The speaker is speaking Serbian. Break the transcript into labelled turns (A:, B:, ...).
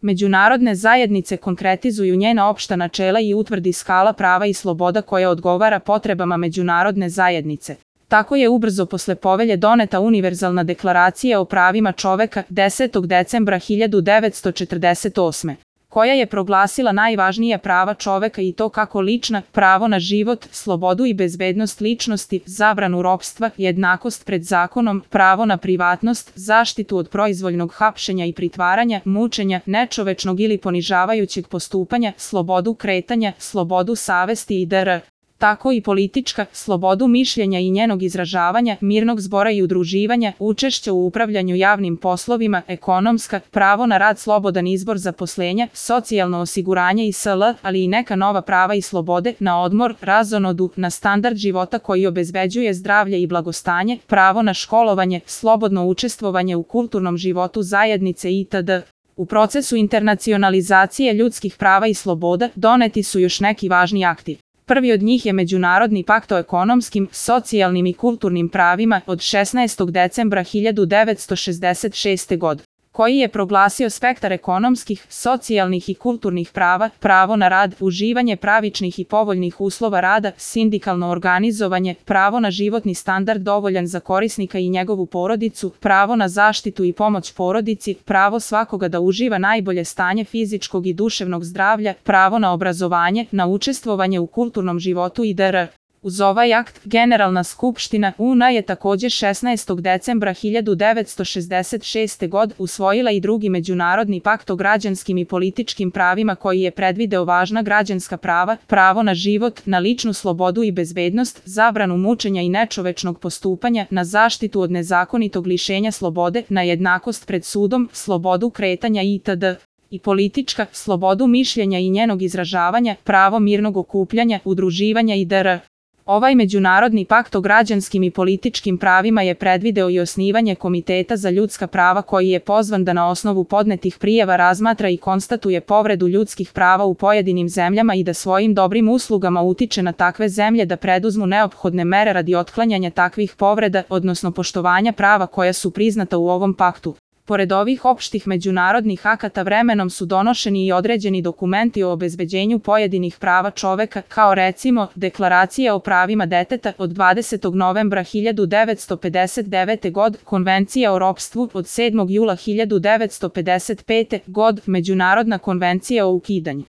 A: Međunarodne zajednice konkretizuju njena opšta načela i utvrdi skala prava i sloboda koja odgovara potrebama međunarodne zajednice. Tako je ubrzo posle povelje doneta Univerzalna deklaracija o pravima čoveka 10. decembra 1948. koja je proglasila najvažnija prava čoveka i to kako lična, pravo na život, slobodu i bezbednost ličnosti, zabranu ropstva, jednakost pred zakonom, pravo na privatnost, zaštitu od proizvoljnog hapšenja i pritvaranja, mučenja, nečovečnog ili ponižavajućeg postupanja, slobodu kretanja, slobodu savesti i dr. Tako i politička, slobodu mišljenja i njenog izražavanja, mirnog zbora i udruživanja, učešća u upravljanju javnim poslovima, ekonomska, pravo na rad, slobodan izbor zaposlenja, socijalno osiguranje i sl., ali i neka nova prava i slobode, na odmor, razonodu, na standard života koji obezbeđuje zdravlje i blagostanje, pravo na školovanje, slobodno učestvovanje u kulturnom životu zajednice itd. U procesu internacionalizacije ljudskih prava i sloboda doneti su još neki važni akti. Prvi od njih je Međunarodni pakt o ekonomskim, socijalnim i kulturnim pravima od 16. decembra 1966. godine, koji je proglasio spektar ekonomskih, socijalnih i kulturnih prava, pravo na rad, uživanje pravičnih i povoljnih uslova rada, sindikalno organizovanje, pravo na životni standard dovoljan za korisnika i njegovu porodicu, pravo na zaštitu i pomoć porodici, pravo svakoga da uživa najbolje stanje fizičkog i duševnog zdravlja, pravo na obrazovanje, na učestvovanje u kulturnom životu i dr. Uz ovaj akt, Generalna skupština UN je takođe 16. decembra 1966. godine usvojila i drugi Međunarodni pakt o građanskim i političkim pravima koji je predvideo važna građanska prava, pravo na život, na ličnu slobodu i bezbednost, zabranu mučenja i nečovečnog postupanja, na zaštitu od nezakonitog lišenja slobode, na jednakost pred sudom, slobodu kretanja itd. I politička, slobodu mišljenja i njenog izražavanja, pravo mirnog okupljanja, udruživanja i dr. Ovaj Međunarodni pakt o građanskim i političkim pravima je predvideo i osnivanje Komiteta za ljudska prava koji je pozvan da na osnovu podnetih prijava razmatra i konstatuje povredu ljudskih prava u pojedinim zemljama i da svojim dobrim uslugama utiče na takve zemlje da preduzmu neophodne mere radi otklanjanja takvih povreda, odnosno poštovanja prava koja su priznata u ovom paktu. Pored ovih opštih međunarodnih akata vremenom su donošeni i određeni dokumenti o obezbeđenju pojedinih prava čoveka, kao recimo Deklaracija o pravima deteta od 20. novembra 1959. godine, Konvencija o ropstvu od 7. jula 1955. godine, Međunarodna konvencija o ukidanju